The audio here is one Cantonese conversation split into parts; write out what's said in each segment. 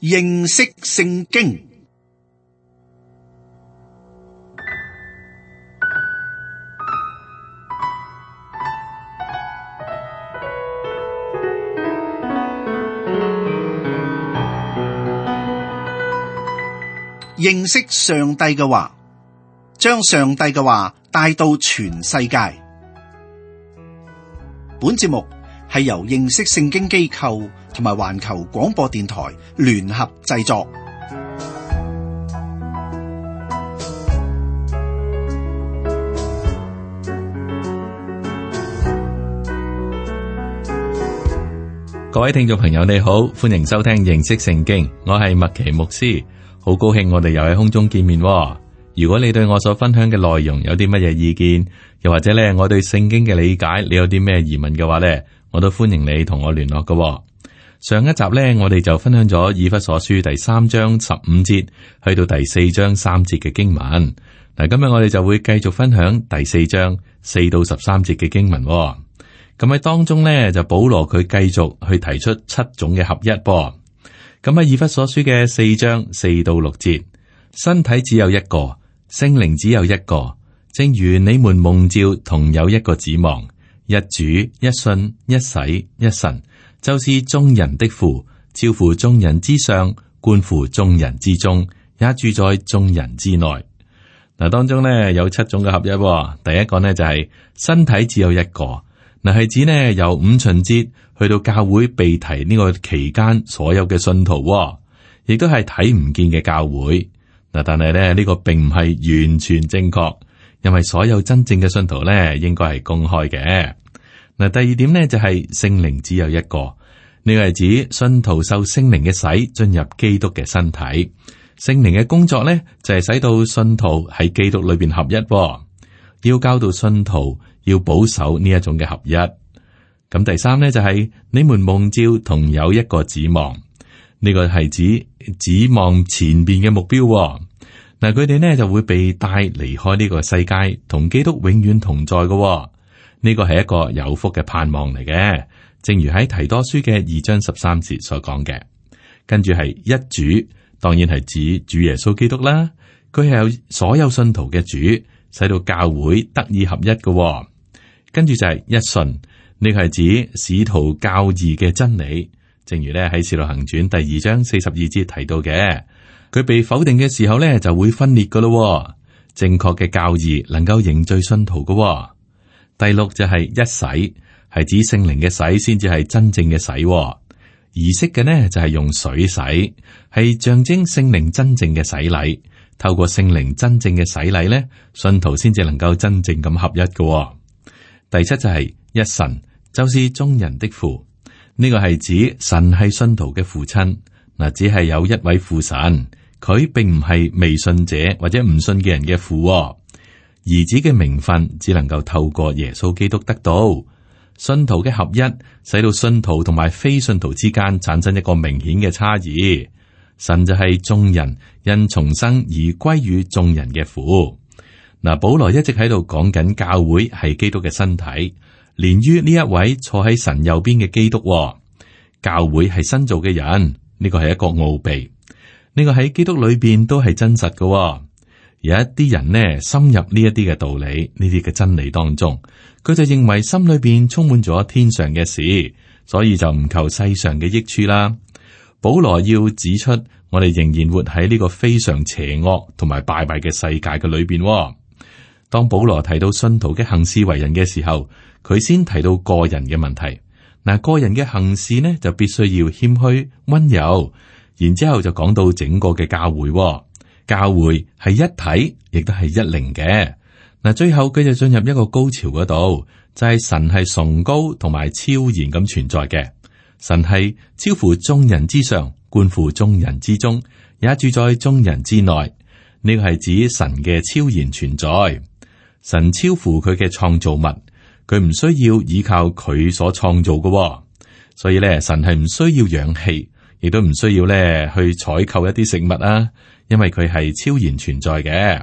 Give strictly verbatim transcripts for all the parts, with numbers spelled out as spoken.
認識聖經。認識上帝嘅話，將上帝嘅話帶到全世界。本節目係由認識聖經機構同埋環球廣播電台聯合製作。各位聽眾朋友，你好，歡迎收聽認識聖經，我係麥奇牧師。好高興我哋又喺空中見面喎。如果你對我所分享嘅內容有啲乜嘢意見，又或者咧我對聖經嘅理解，你有啲咩疑問嘅話咧，我都歡迎你同我聯絡嘅喎。上一集咧，我哋就分享咗以弗所書第三章十五節去到第四章三節嘅經文。嗱，今日我哋就會繼續分享第四章四到十三節嘅經文喎。咁喺當中咧，就保羅佢繼續去提出七種嘅合一噃。咁喺以弗所書嘅四章四到六節，身體只有一個，聖靈只有一個，正如你們蒙召同有一個指望，一主一信一洗一神，就是眾人的父，超乎眾人之上，觀乎眾人之中，也住在眾人之內。嗱，當中呢有七種嘅合一。第一個呢就係身體只有一個，嗱係指呢由五旬節去到教會被提呢個期間，所有嘅信徒，亦都係睇唔見嘅教會。嗱，但係咧呢個並唔係完全正確，因為所有真正嘅信徒咧應該係公開嘅。嗱，第二點呢就係聖靈只有一個，呢個係指信徒受聖靈嘅洗，進入基督嘅身體。聖靈嘅工作咧就係使到信徒喺基督裏邊合一，要教導信徒要保守呢一種嘅合一。咁第三咧就係、是、你們蒙召同有一個指望，呢、這個係指指望前邊嘅目標。嗱，佢哋呢就會被帶離開呢個世界，同基督永遠同在嘅。呢個係一個有福嘅盼望嚟嘅，正如喺提多書嘅二章十三節所講嘅。跟住係一主，當然係指主耶穌基督啦。佢係有所有信徒嘅主，使到教會得以合一嘅。跟住就係一信。呢個係指使徒教義嘅真理，正如咧喺《使徒行傳》第二章四十二節提到嘅，佢被否定嘅時候咧就會分裂噶咯。正確嘅教義能夠凝聚信徒噶。第六就係一洗，係指聖靈嘅洗先至係真正嘅洗。儀式嘅呢就係用水洗，係象徵聖靈真正嘅洗禮。透過聖靈真正嘅洗禮咧，信徒先至能夠真正咁合一噶。第七就係一神。就是眾人的父，呢、這個係指神係信徒嘅父親。嗱，只係有一位父神，佢並唔係未信者或者唔信嘅人嘅父。兒子嘅名分只能夠透過耶穌基督得到。信徒嘅合一，使到信徒同埋非信徒之間產生一個明顯嘅差異。神就係眾人因重生而歸於眾人嘅父。嗱，保羅一直喺度講緊教會係基督嘅身體。連於呢一位坐喺神右邊嘅基督。教會係新造嘅人，呢個係一個奧秘，呢個喺基督裏邊都係真實嘅。有一啲人呢，深入呢一啲嘅道理，呢啲嘅真理當中，佢就認為心裏邊充滿咗天上嘅事，所以就唔求世上嘅益處啦。保羅要指出，我哋仍然活喺呢個非常邪惡同埋敗壞嘅世界嘅裏邊。當保羅提到信徒嘅行事為人嘅時候，佢先提到個人嘅問題。嗱，個人嘅行事呢，就必須要謙虛溫柔，然之後就講到整個嘅教會。教會係一體，亦都係一靈嘅。嗱，最後佢就進入一個高潮嗰度，就係、是、神係崇高同埋超然咁存在嘅。神係超乎眾人之上，觀乎眾人之中，也住在眾人之內。呢個係指神嘅超然存在。神超乎佢嘅創造物，佢唔需要依靠佢所創造嘅，所以咧神係唔需要氧氣，亦都唔需要咧去採購一啲食物啊，因為佢係超然存在嘅。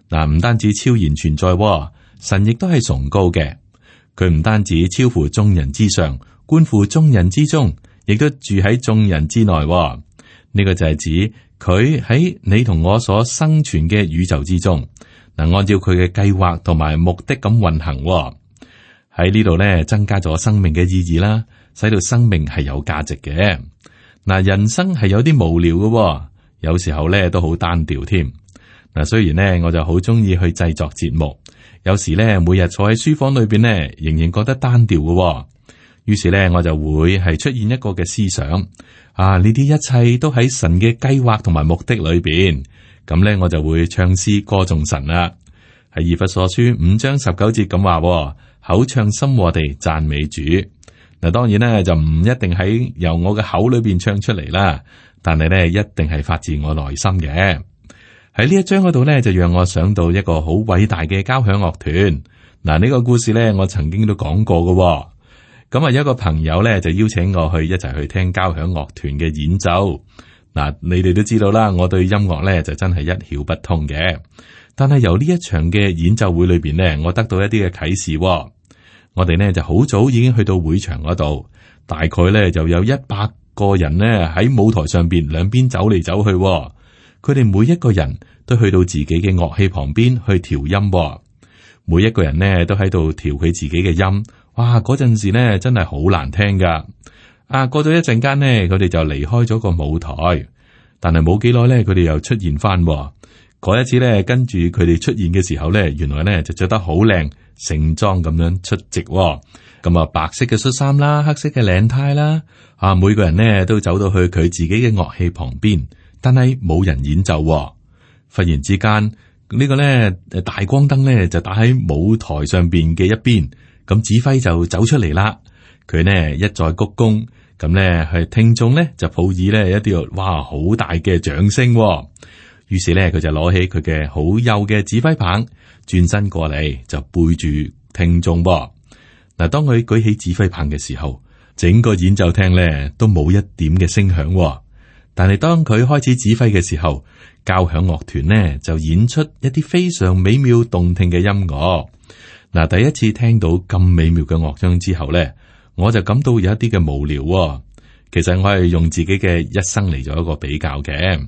嗱，唔單止超然存在，神亦都係崇高嘅。佢唔單止超乎眾人之上，觀乎眾人之中，亦都住喺眾人之內。呢呢個就係指佢喺你同我所生存嘅宇宙之中，嗱，按照佢嘅計劃同埋目的咁運行喎。喺呢度咧，增加咗生命嘅意義啦，使到生命係有價值嘅。嗱，人生係有啲無聊嘅喎，有時候咧都好單調添。嗱，雖然咧我就好中意去製作節目，有時咧每日坐喺書房裏邊咧，仍然覺得單調嘅喎。於是咧我就會係出現一個嘅思想，啊，呢啲一切都喺神嘅計劃同埋目的裏邊。咁咧我就會唱詩歌頌神啦。喺以弗所書五章十九節咁話，口唱心和地讚美主。嗱，當然咧就唔一定喺由我嘅口裏邊唱出嚟啦，但係咧一定係發自我內心嘅。喺呢一章嗰度咧，就讓我想到一個好偉大嘅交響樂團。嗱，呢個故事咧我曾經都講過嘅。咁啊，有一個朋友咧就邀請我去一齊去聽交響樂團嘅演奏。嗱，你哋都知道啦，我對音樂咧就真係一竅不通嘅。但係由呢一場嘅演奏會裏邊呢，我得到一啲嘅啟示。我哋呢就好早已經去到會場嗰度，大概咧就有一百個人呢喺舞台上邊兩邊走嚟走去。佢哋每一個人都去到自己嘅樂器旁邊去調音，每一個人呢都喺度調佢自己嘅音。哇！嗰陣時呢真係好難聽噶。啊，過咗一陣間呢，佢哋就離開咗個舞台，但係冇幾耐呢，佢哋又出現翻。嗰一次呢，跟住佢哋出現嘅時候呢，原來呢就着得好靚，盛裝咁樣出席。咁啊，白色嘅恤衫啦，黑色嘅領呔啦，啊，每個人呢都走到去佢自己嘅樂器旁邊，但係冇人演奏。忽然之間，呢個呢大光燈呢就打喺舞台上邊嘅一邊，咁指揮就走出嚟啦。佢呢一再鞠躬，咁呢係聽眾呢就抱以呢一啲哇好大嘅掌聲。於是咧，佢就攞起佢嘅好幼嘅指揮棒，轉身過嚟就背住聽眾噃。嗱，當佢舉起指揮棒嘅時候，整個演奏廳咧都冇一點嘅聲響。但係當佢開始指揮嘅時候，交響樂團呢就演出一啲非常美妙動聽嘅音樂。嗱，第一次聽到咁美妙嘅樂章之後咧，我就感到有一啲嘅無聊。其實我係用自己嘅一生嚟做一個比較嘅。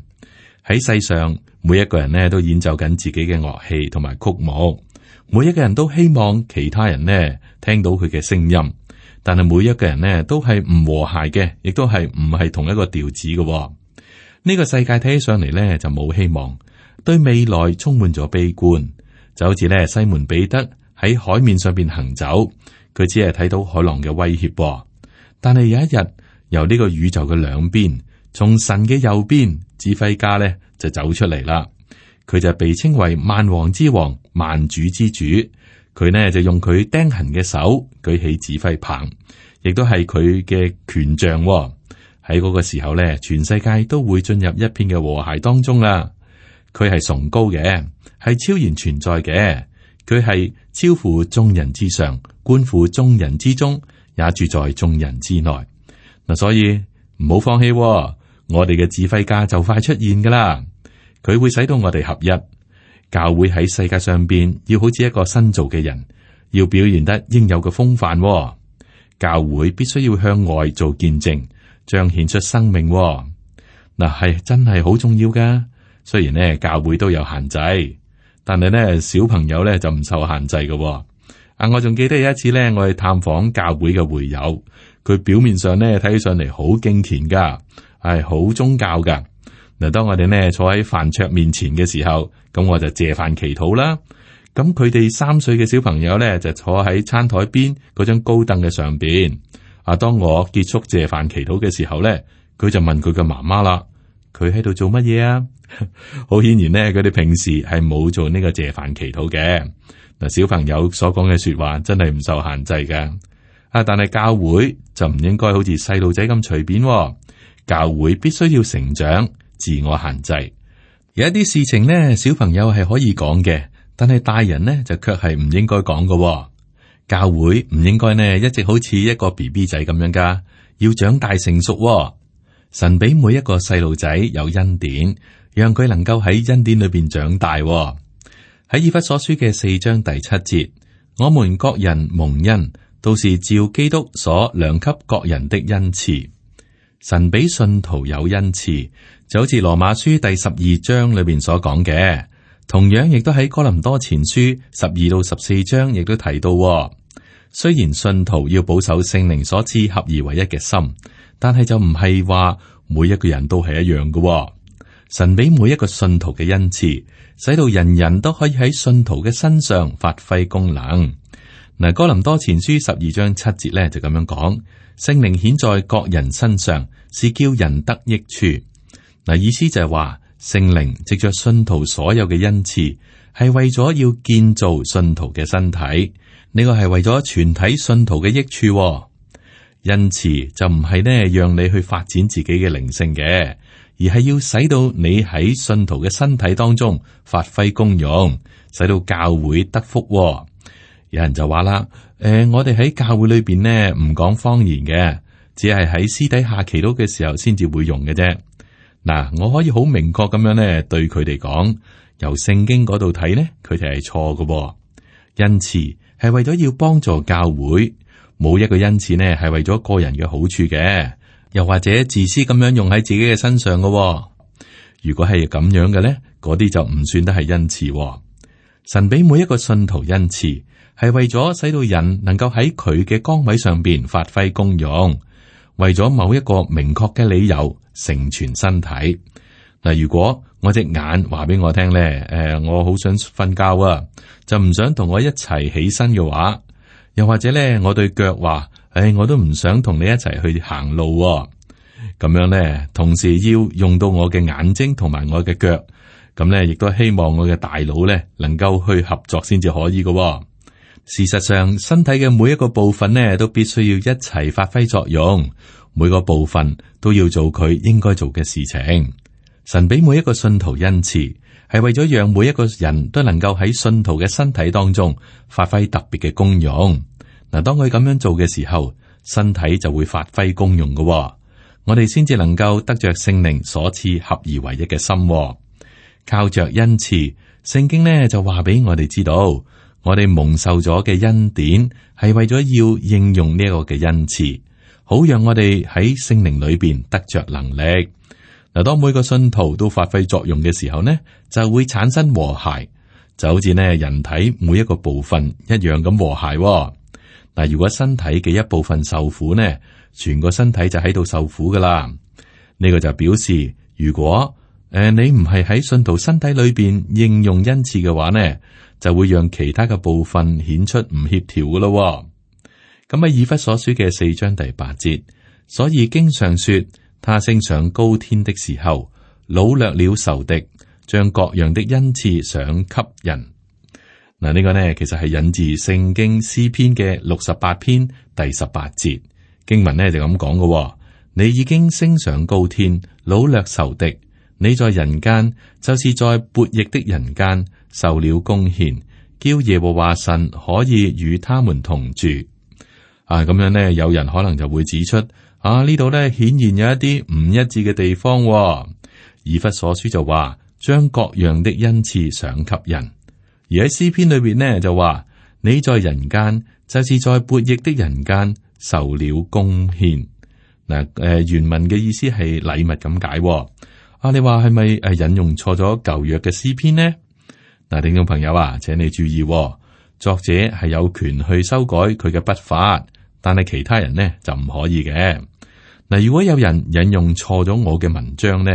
喺世上，每一個人呢都演奏緊自己嘅樂器同埋曲目，每一個人都希望其他人呢聽到佢嘅聲音，但係每一個人呢都係唔和諧嘅，亦都係唔係同一個調子嘅。呢個世界睇起上嚟呢就冇希望，對未來充滿咗悲觀，就好似呢西門彼得喺海面上邊行走，佢只係睇到海浪嘅威脅，但係有一日由呢個宇宙嘅兩邊，從神嘅右邊，指揮家咧就走出嚟啦。佢就被稱為萬王之王、萬主之主。佢呢就用佢釘痕嘅手舉起指揮棒，亦都係佢嘅權杖。喺嗰個時候咧，全世界都會進入一片嘅和諧當中啦。佢係崇高嘅，係超然存在嘅。佢係超乎眾人之上，觀乎眾人之中，也住在眾人之內。嗱，所以唔好放棄。我哋嘅指揮家就快出現噶啦，佢會使到我哋合一。教會喺世界上邊要好似一個新造嘅人，要表現得應有嘅風範。教會必須要向外做見證，彰顯出生命。嗱，係真係好重要噶。雖然呢教會都有限制，但係呢小朋友呢就唔受限制嘅。啊，我仲記得有一次呢，我去探訪教會嘅會友，佢表面上呢睇起上嚟好敬虔噶。係好宗教噶。嗱，當我哋呢坐喺飯桌面前嘅時候，咁我就謝飯祈禱啦。咁佢哋三歲嘅小朋友呢，就坐喺餐台邊嗰張高凳嘅上邊。啊，當我結束謝飯祈禱嘅時候呢，佢就問佢嘅媽媽啦：佢喺度做乜嘢啊？好顯然呢，佢哋平時係冇做呢個謝飯祈禱嘅。嗱，小朋友所講嘅說話真係唔受限制噶。啊，但係教會就唔應該好似細路仔咁隨便。教會必須要成長，自我限制。有一啲事情呢，小朋友係可以講嘅，但係大人呢就卻係唔應該講嘅。教會唔應該呢一直好似一個 B B 仔咁樣噶，要長大成熟。神俾每一個細路仔有恩典，讓佢能夠喺恩典裏邊長大。喺以弗所書嘅四章第七節，我們各人蒙恩，都是照基督所量給各人的恩賜。神俾信徒有恩賜，就好似羅馬書第十二章裏邊所講嘅，同樣亦都喺哥林多前書十二到十四章亦都提到。雖然信徒要保守聖靈所賜合而為一嘅心，但係就唔係話每一個人都係一樣嘅。神俾每一個信徒嘅恩賜，使到人人都可以喺信徒嘅身上發揮功能。嗱，哥林多前書十二章七節咧就咁樣講：聖靈顯在各人身上，是叫人得益處。嗱，意思就係話聖靈藉着信徒所有嘅恩賜，係為咗要建造信徒嘅身體。呢個係為咗全體信徒嘅益處。恩賜就唔係呢讓你去發展自己嘅靈性嘅，而係要使到你喺信徒嘅身體當中發揮功用，使到教會得福。有人就話啦，誒、呃，我哋喺教會裏邊呢唔講方言嘅，只係喺私底下祈禱嘅時候先至會用嘅啫。嗱，我可以好明確咁樣呢對佢哋講，由聖經嗰度睇呢，佢哋係錯嘅。恩賜係為咗要幫助教會，冇一個恩賜呢係為咗個人嘅好處嘅，又或者自私咁樣用喺自己嘅身上嘅。如果係咁樣嘅呢，嗰啲就唔算得係恩賜。神俾每一個信徒恩賜，係為咗使到人能夠喺佢嘅崗位上邊發揮功用，為咗某一個明確嘅理由成全身體。嗱，如果我隻眼話俾我聽咧，誒，我好想瞓覺啊，就唔想同我一齊起身嘅話，又或者咧，我對腳話，誒，我都唔想同你一齊去行路啊，咁樣咧，同時要用到我嘅眼睛同埋我嘅腳，咁咧，亦都希望我嘅大腦咧能夠去合作先至可以嘅。事實上，身體嘅每一個部分呢，都必須要一齊發揮作用，每個部分都要做佢應該做嘅事情。神俾每一個信徒恩賜，係為咗讓每一個人都能夠喺信徒嘅身體當中發揮特別嘅功用。嗱，當佢咁樣做嘅時候，身體就會發揮功用嘅。我哋先至能夠得着聖靈所賜合而為一嘅心。靠着恩賜，聖經呢就話俾我哋知道，我哋蒙受咗嘅恩典係為咗要應用呢一個嘅恩賜，好讓我哋喺聖靈裏邊得着能力。嗱，當每個信徒都發揮作用嘅時候呢，就會產生和諧，就好似呢人體每一個部分一樣咁和諧。嗱，如果身體嘅一部分受苦呢，全個身體就喺度受苦噶啦。呢個就表示，如果誒、呃、你唔係喺信徒身體裏邊應用恩賜嘅話呢，就會讓其他嘅部分顯出唔協調噶咯。咁喺以弗所書嘅四章第八節，所以經上說，他升上高天的時候，擄掠了仇敵，將各樣的恩賜賞給人。嗱，呢個呢其實係引自聖經詩篇嘅六十八篇第十八節經文呢就咁講嘅。你已經升上高天，擄掠仇敵，你在人間就是在悖逆的人間受了供獻，叫耶和華神可以與他們同住。啊，咁樣呢，有人可能就會指出，啊呢度呢顯然有一啲唔一致嘅地方，哦。以弗所書就話將各樣的恩賜賞給人，而喺詩篇裏邊呢就話你在人間就是在悖逆的人間受了供獻。嗱，誒原文嘅意思係禮物咁解，哦。啊，你話係咪誒引用錯咗舊約嘅詩篇呢？嗱，聽眾朋友啊，請你注意，哦，作者係有權去修改佢嘅筆法，但係其他人呢就唔可以嘅。嗱，如果有人引用錯咗我嘅文章呢，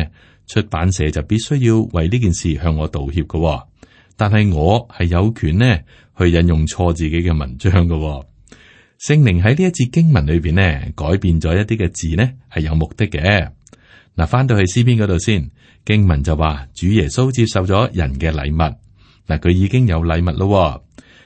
出版社就必須要為呢件事向我道歉嘅，哦。但係我係有權呢去引用錯自己嘅文章嘅，哦。聖靈喺呢一節經文裏邊呢改變咗一啲嘅字呢係有目的嘅。嗱，翻到去詩篇嗰度先，經文就話主耶穌接受咗人嘅禮物。嗱，佢已經有禮物咯。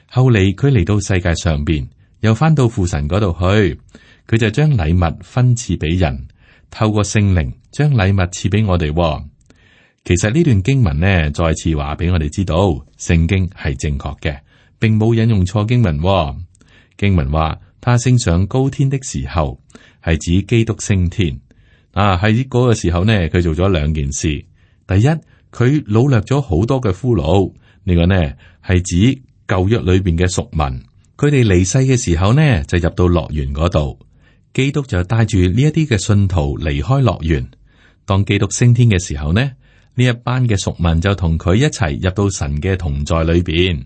後嚟佢嚟到世界上邊，又翻到父神嗰度去，佢就將禮物分賜俾人，透過聖靈將禮物賜俾我哋。其實呢段經文呢，再次話俾我哋知道，聖經係正確嘅，並冇引用錯經文。經文話他升上高天的時候，係指基督升天。啊，喺嗰個時候呢，佢做咗兩件事。第一，佢擄掠咗好多嘅俘虜，呢、這個呢係指舊約裏邊嘅贖民，佢哋離世嘅時候呢，就入到樂園嗰度。基督就帶住呢一啲嘅信徒離開樂園。當基督升天嘅時候呢，呢一班嘅屬民就同佢一齊入到神嘅同在裏邊。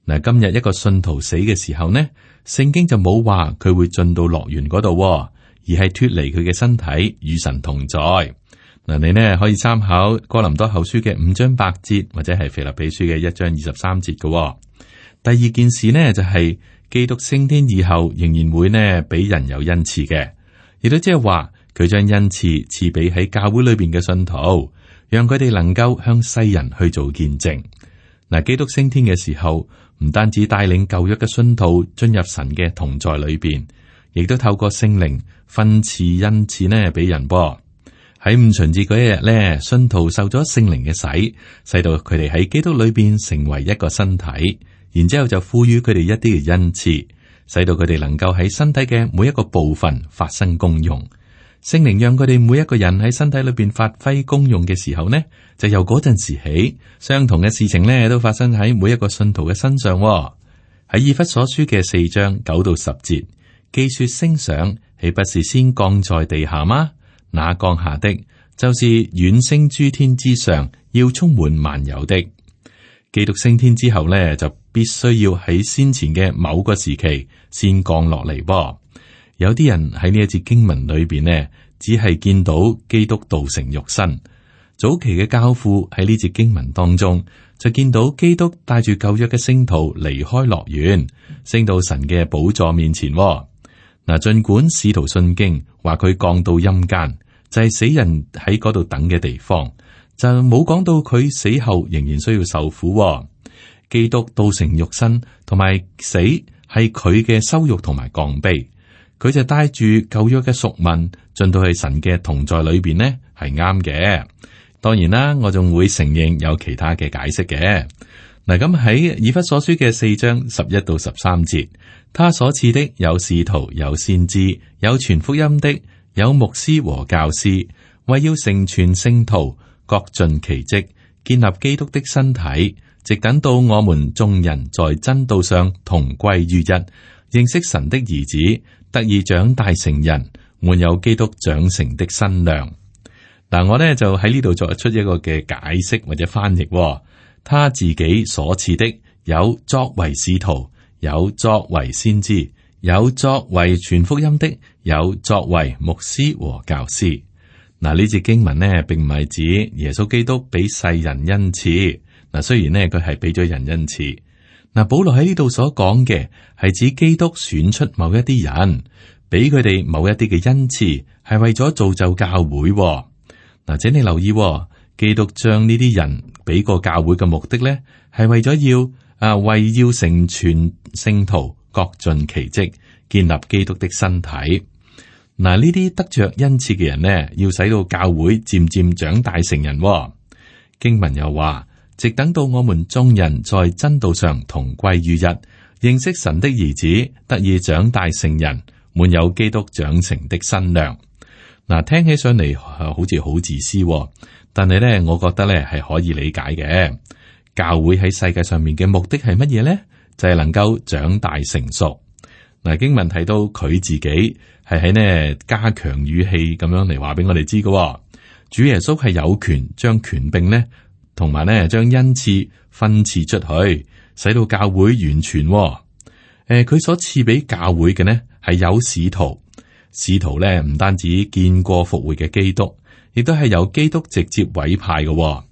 嗱，今日一個信徒死嘅時候呢，聖經就冇話佢會進到樂園嗰度，而係脫離佢嘅身體與神同在。嗱，你呢可以參考哥林多後書嘅五章八節，或者係腓立比書嘅一章二十三節嘅。第二件事呢，就係、是、基督升天以後，仍然會呢俾人有恩賜嘅，亦都即係話佢將恩賜賜俾喺教會裏邊嘅信徒，讓佢哋能夠向世人去做見證。嗱，基督升天嘅時候，唔單止帶領舊約嘅信徒進入神嘅同在裏邊，亦都透過聖靈分賜恩賜呢俾人噃。喺五旬節嗰一日咧，信徒受咗聖靈嘅洗，使到佢哋喺基督裏邊成為一個身體，然之後就賦予佢哋一啲嘅恩賜，使到佢哋能夠喺身體嘅每一個部分發生功用。聖靈讓佢哋每一個人喺身體裏邊發揮功用嘅時候呢，就由嗰陣時起，相同嘅事情呢都發生喺每一個信徒嘅身上。喺以弗所書嘅四章九到十節，既說升上，豈不是先降在地下嗎？那降下的，就是遠升諸天之上，要充滿萬有的。基督升天之後呢，就必須要喺先前嘅某個時期先降落嚟噃。有啲人喺呢一節經文裏邊呢，只係見到基督道成肉身。早期嘅教父喺呢節經文當中就見到基督帶住舊約嘅聖徒離開樂園，升到神嘅寶座面前。嗱，盡管使徒信經話佢降到陰間，就係死人喺嗰度等嘅地方，就冇講到佢死後仍然需要受苦。基督道成肉身同埋死係佢嘅羞辱同埋降卑，佢就帶住舊約嘅贖民進到去神嘅同在裏邊呢，係啱嘅。當然啦，我仲會承認有其他嘅解釋嘅。嗱，咁喺以弗所書嘅四章十一到十三節，他所賜的有使徒，有先知，有傳福音的，有牧師和教師，為要成全聖徒，各盡其職，建立基督的身體，直等到我們眾人在真道上同歸於一，認識神的兒子，得以長大成人，滿有基督長成的身量。嗱，我呢就喺呢度作出一個嘅解釋或者翻譯。他自己所賜的有作為使徒，有作為先知，有作為傳福音的，有作為牧師和教師。嗱，呢節經文呢，並唔係指耶穌基督俾世人恩賜。嗱，雖然呢，佢係俾咗人恩賜。嗱，保羅喺呢度所講嘅係指基督選出某一啲人，俾佢哋某一啲嘅恩賜，係為咗造就教會。嗱，請你留意，基督將呢啲人俾個教會嘅目的咧，係為咗要啊，為要成全聖徒，各盡其職，建立基督的身體。嗱，呢啲得着恩賜嘅人呢，要使到教會漸漸長大成人。經文又話，直等到我們眾人在真道上同歸於一，認識神的兒子，得以長大成人，滿有基督長成的身量。嗱，聽起上嚟好似好自私，但係咧，我覺得咧係可以理解嘅。教會喺世界上面嘅目的係乜嘢咧？就係能夠長大成熟。嗱，經文提到佢自己係喺呢加強語氣咁樣嚟話俾我哋知嘅。主耶穌係有權將權柄呢，同埋呢將恩賜分賜出去，使到教會完全。誒，佢所賜俾教會嘅呢係有使徒。使徒咧唔單止見過復活嘅基督，亦都係由基督直接委派嘅。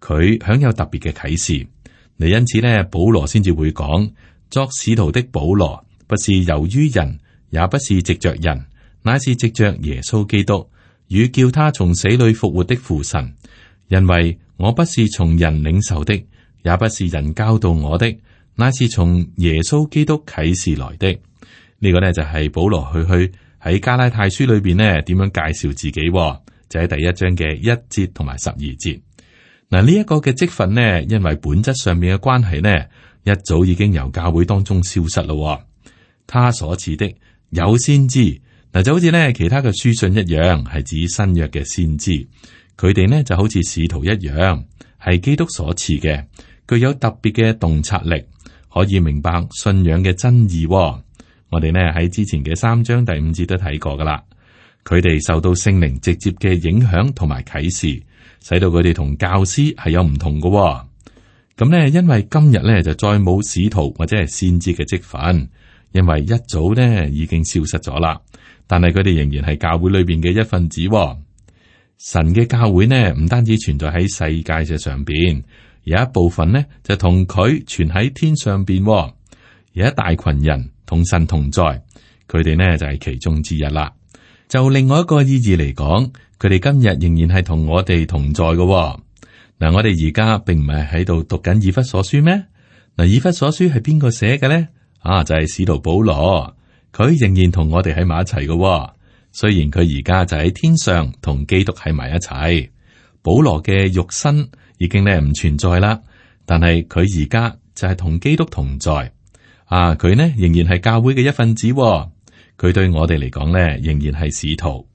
佢享有特別嘅啟示，嚟因此咧，保羅先至會講，作使徒的保羅，不是由於人，也不是藉着人，乃是藉着耶穌基督，與叫他從死裏復活的父神。因為我不是從人領受的，也不是人教導我的，乃是從耶穌基督啟示來的。呢、這個呢，就係保羅去去。喺加拉太書裏邊呢，點樣介紹自己？就喺第一章嘅一節同埋十二節。嗱，呢一個嘅職分呢，因為本質上面嘅關係呢，一早已經由教會當中消失咯。他所賜的有先知，嗱，就好似呢其他嘅書信一樣，係指新約嘅先知。佢哋呢就好似使徒一樣，係基督所賜嘅，具有特別嘅洞察力，可以明白信仰嘅真義。我哋呢喺之前嘅三章第五節都睇過噶啦。佢哋受到聖靈直接嘅影響同埋啟示，使到佢哋同教師係有唔同嘅、哦。咁呢，因為今日呢就再冇使徒或者係先知嘅職分，因為一早呢已經消失咗啦。但係佢哋仍然係教會裏邊嘅一份子、哦。神嘅教會呢唔單止存在喺世界嘅上邊，有一部分呢就同佢存喺天上邊、哦。有一大群人同神同在，佢哋呢就係其中之一啦。就另外一個意義嚟講，佢哋今日仍然係同我哋同在嘅、哦。嗱，我哋而家並唔係喺度讀緊以弗所書咩？嗱，以弗所書係邊個寫嘅咧？啊，就係使徒保羅，佢仍然同我哋喺埋一齊嘅。雖然佢而家就喺天上同基督喺埋一齊，保羅嘅肉身已經咧唔存在啦，但係佢而家就係同基督同在。啊，佢呢仍然係教會嘅一份子。佢對我哋嚟講咧，仍然係使徒。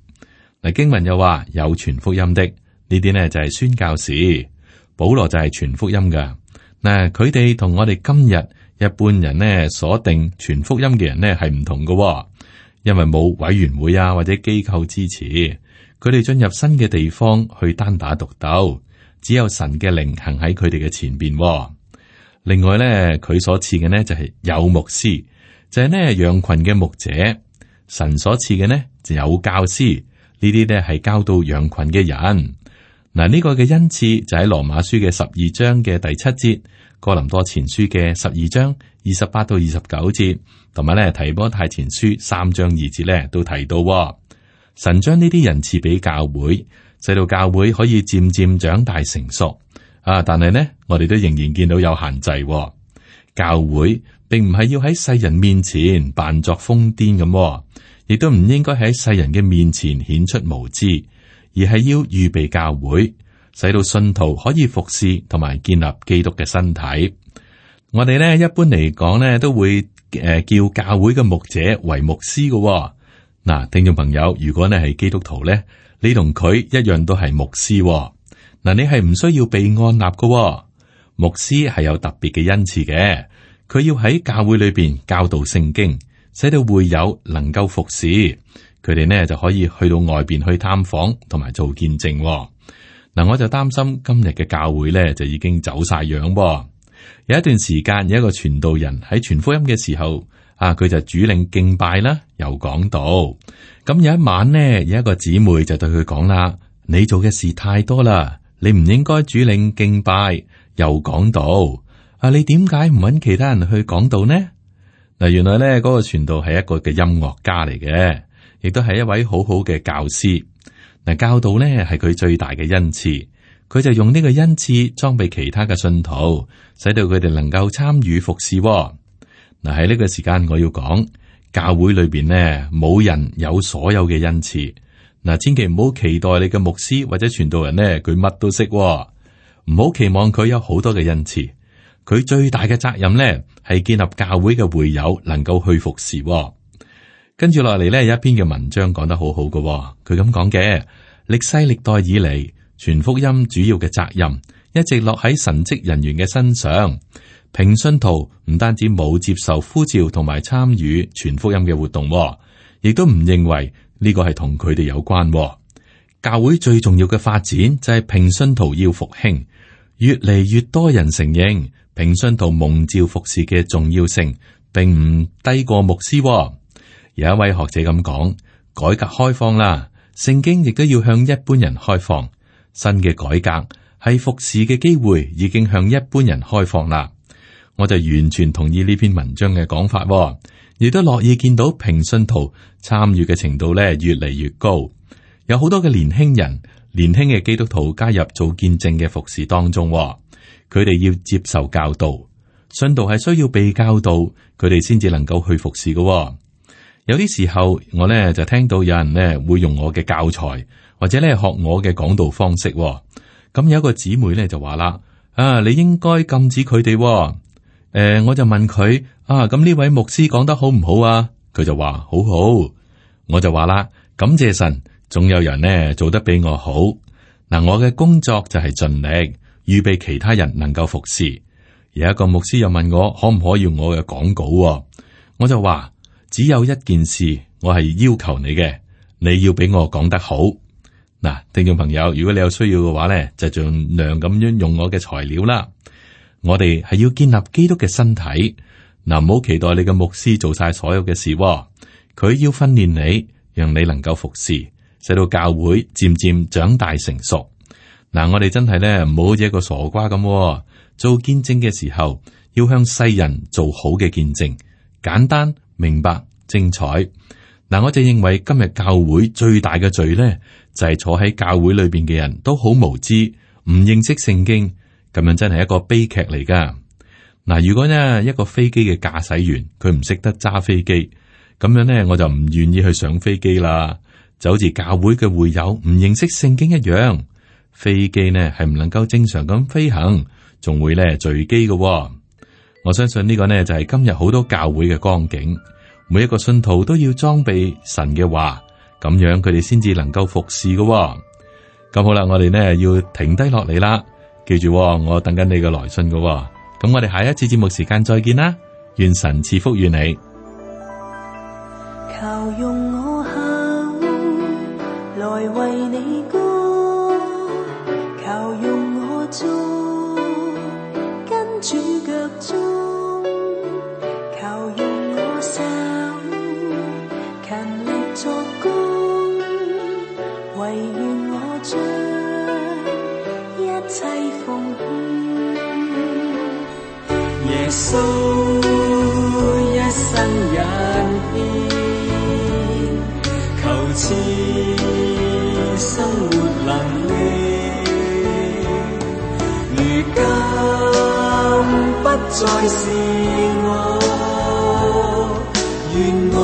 嗱，經文又話有傳福音的呢啲呢，就係宣教士。保羅就係傳福音噶。嗱，佢哋同我哋今日一般人呢所定傳福音嘅人呢係唔同噶，因為冇委員會啊或者機構支持，佢哋進入新嘅地方去單打獨鬥，只有神嘅靈行喺佢哋嘅前邊。另外呢，佢所賜嘅呢就係有牧師，就係呢羊群嘅牧者。神所賜嘅呢就有教師，呢啲呢係教導羊群嘅人。嗱，呢個嘅恩賜就喺羅馬書嘅十二章嘅第七節，哥林多前書嘅十二章二十八到二十九節，同埋咧提摩太前書三章二節咧都提到，神將呢啲人賜俾教會，使到教會可以漸漸長大成熟。啊，但係呢，我哋都仍然見到有限制。教會並唔係要喺世人面前扮作瘋癲咁，亦都唔應該喺世人嘅面前顯出無知。而係要預備教會，使到信徒可以服侍同埋建立基督嘅身體。我哋咧一般嚟講咧，都會誒叫教會嘅牧者為牧師嘅。嗱，聽眾朋友，如果你係基督徒咧，你同佢一樣都係牧師。嗱，你係唔需要被按立嘅。牧師係有特別嘅恩賜嘅，佢要喺教會裏邊教導聖經，使到會友能夠服侍。佢哋呢就可以去到外邊去探訪同埋做見證。嗱，我就擔心今日嘅教會呢就已經走晒樣。有一段時間有一個傳道人喺傳福音嘅時候，啊，佢就主領敬拜啦，又講道。咁有一晚呢，有一個姊妹就對佢講啦：你做嘅事太多啦，你唔應該主領敬拜又講道。啊，你點解唔揾其他人去講道呢？嗱，原來呢嗰個傳道係一個嘅音樂家嚟嘅。亦都係一位好好嘅教師。嗱，教導呢係佢最大嘅恩賜，佢就用呢個恩賜裝備其他嘅信徒，使到佢哋能夠參與服侍。嗱，喺呢個時間我要講，教會裏邊呢冇人有所有嘅恩賜。嗱，千祈唔好期待你嘅牧師或者傳道人呢，佢乜都識，唔好期望佢有好多嘅恩賜。佢最大嘅責任呢係建立教會嘅會友能夠去服侍。跟住落嚟呢，有一篇嘅文章講得好好嘅，佢咁講嘅：歷世歷代以嚟，傳福音主要嘅責任一直落喺神職人員嘅身上。平信徒唔單止冇接受呼召同埋參與傳福音嘅活動，亦都唔認為呢個係同佢哋有關。教會最重要嘅發展就係平信徒要復興，越嚟越多人承認平信徒蒙召服侍嘅重要性，並唔低過牧師。有一位學者咁講：改革開放啦，聖經亦都要向一般人開放。新嘅改革係服侍嘅機會，已經向一般人開放啦。我就完全同意呢篇文章嘅講法，亦都樂意見到平信徒參與嘅程度咧越嚟越高。有好多嘅年輕人、年輕嘅基督徒加入做見證嘅服侍當中，佢哋要接受教導。信徒係需要被教導，佢哋先至能夠去服侍嘅。有啲時候，我咧就聽到有人咧會用我嘅教材，或者咧學我嘅講道方式。咁有一個姊妹咧就話啦：啊，你應該禁止佢哋。誒、呃，我就問佢：啊，咁呢位牧師講得好唔好啊？佢就話好好。我就話啦：感謝神，總有人呢做得比我好。嗱，我嘅工作就係盡力預備其他人能夠服侍。有一個牧師又問我可唔可以用我嘅講稿，我就話。只有一件事，我係要求你嘅，你要俾我講得好。嗱，聽眾朋友，如果你有需要嘅話咧，就盡量咁樣用我嘅材料啦。我哋係要建立基督嘅身體，嗱，唔好期待你嘅牧師做晒所有嘅事，佢要訓練你，讓你能夠服侍，使到教會漸漸長大成熟。嗱，我哋真係咧唔好好似一個傻瓜咁，做見證嘅時候要向世人做好嘅見證，簡單明白精彩。嗱，我就認為今日教會最大嘅罪咧，就係坐喺教會裏邊嘅人都好無知，唔認識聖經，咁樣真係一個悲劇嚟噶。嗱，如果呢一個飛機嘅駕駛員佢唔識得揸飛機，咁樣呢我就唔願意去上飛機啦。就好似教會嘅會友唔認識聖經一樣。飛機呢係唔能夠正常咁飛行，仲會咧墜機嘅。我相信呢個呢就係今日好多教會嘅光景。每一個信徒都要裝備神嘅話，咁樣佢哋先至能夠服侍嘅。咁好啦，我哋呢要停低落嚟啦。記住，我等緊你嘅來信嘅。咁我哋下一次節目時間再見啦。願神賜福於你。求用我口來為你歌，求用我足跟主腳蹤，求用我手勤力作工，唯願我將一切奉獻。耶穌一生引牽，求賜生活能力，如今不再是我，願我